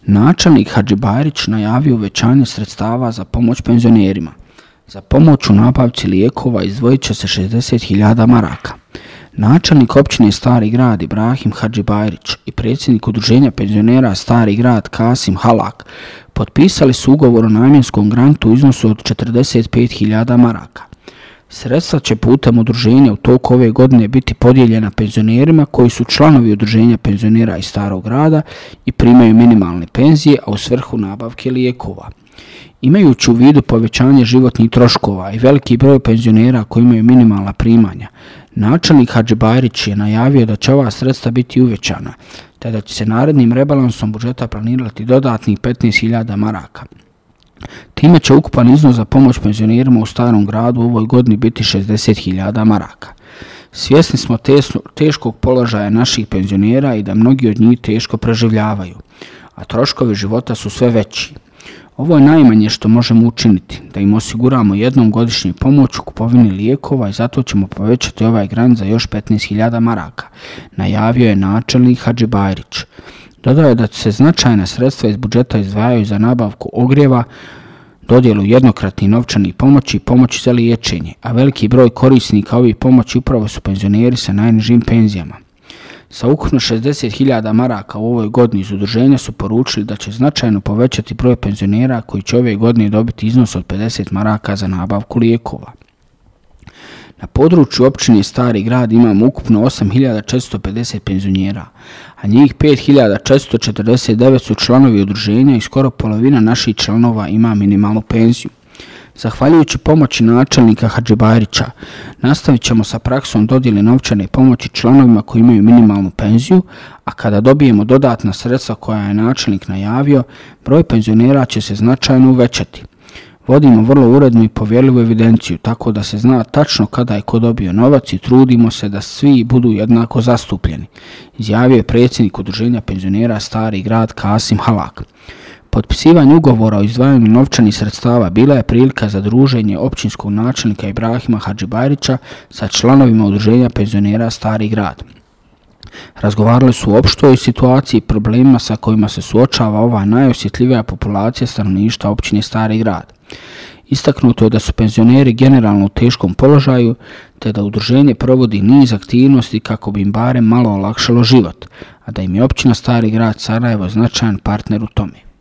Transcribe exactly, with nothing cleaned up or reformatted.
Načelnik Hadžibajrić najavio uvećanje sredstava za pomoć penzionerima. Za pomoć u nabavci lijekova izdvojit će se šezdeset hiljada maraka. Načelnik općine Stari Grad Ibrahim Hadžibajrić i predsjednik udruženja penzionera Stari Grad Kasim Halak potpisali su ugovor o namjenskom grantu u iznosu od četrdeset pet hiljada maraka. Sredstva će putem udruženja u toku ove godine biti podijeljena penzionerima koji su članovi udruženja penzionera iz Starog Grada i primaju minimalne penzije, a u svrhu nabavke lijekova. Imajući u vidu povećanje životnih troškova i veliki broj penzionera koji imaju minimalna primanja, načelnik Hadžibajrić je najavio da će ova sredstva biti uvećana, te da će se narednim rebalansom budžeta planirati dodatnih petnaest hiljada maraka. Time će ukupan iznos za pomoć penzionerima u Starom Gradu u ovoj godini biti šezdeset hiljada maraka. Svjesni smo tesno, teškog položaja naših penzionera i da mnogi od njih teško preživljavaju, a troškovi života su sve veći. Ovo je najmanje što možemo učiniti, da im osiguramo jednom godišnju pomoć u kupovini lijekova i zato ćemo povećati ovaj grant za još petnaest hiljada maraka, najavio je načelnik Hadžibajrić. Dodao je da se značajna sredstva iz budžeta izdvajaju za nabavku ogrijeva, dodjelu jednokratnih novčanih pomoći i pomoći za liječenje, a veliki broj korisnika ovih pomoći upravo su penzioneri sa najnižim penzijama. Sa ukupno šezdeset hiljada maraka u ovoj godini iz udruženja su poručili da će značajno povećati broj penzionera koji će ove godine dobiti iznos od pedeset maraka za nabavku lijekova. Na području općine Stari Grad imamo ukupno osam hiljada četiristo pedeset penzionera, a njih pet hiljada četiristo četrdeset devet su članovi udruženja i skoro polovina naših članova ima minimalnu penziju. Zahvaljujući pomoći načelnika Hadžibajrića, nastavit ćemo sa praksom dodjele novčane pomoći članovima koji imaju minimalnu penziju, a kada dobijemo dodatna sredstva koja je načelnik najavio, broj penzionera će se značajno uvećati. Vodimo vrlo urednu i povjerljivu evidenciju, tako da se zna tačno kada je ko dobio novac i trudimo se da svi budu jednako zastupljeni, izjavio je predsjednik udruženja penzionera Stari Grad Kasim Halak. Potpisivanje ugovora o izdvajanju novčanih sredstava bila je prilika za druženje općinskog načelnika Ibrahima Hadžibajrića sa članovima udruženja penzionera Stari Grad. Razgovarali su o opštoj situaciji i problemima sa kojima se suočava ova najosjetljivija populacija stanovništva općine Stari Grad. Istaknuto je da su penzioneri generalno u teškom položaju, te da udruženje provodi niz aktivnosti kako bi im barem malo olakšalo život, a da im je općina Stari Grad Sarajevo značajan partner u tome.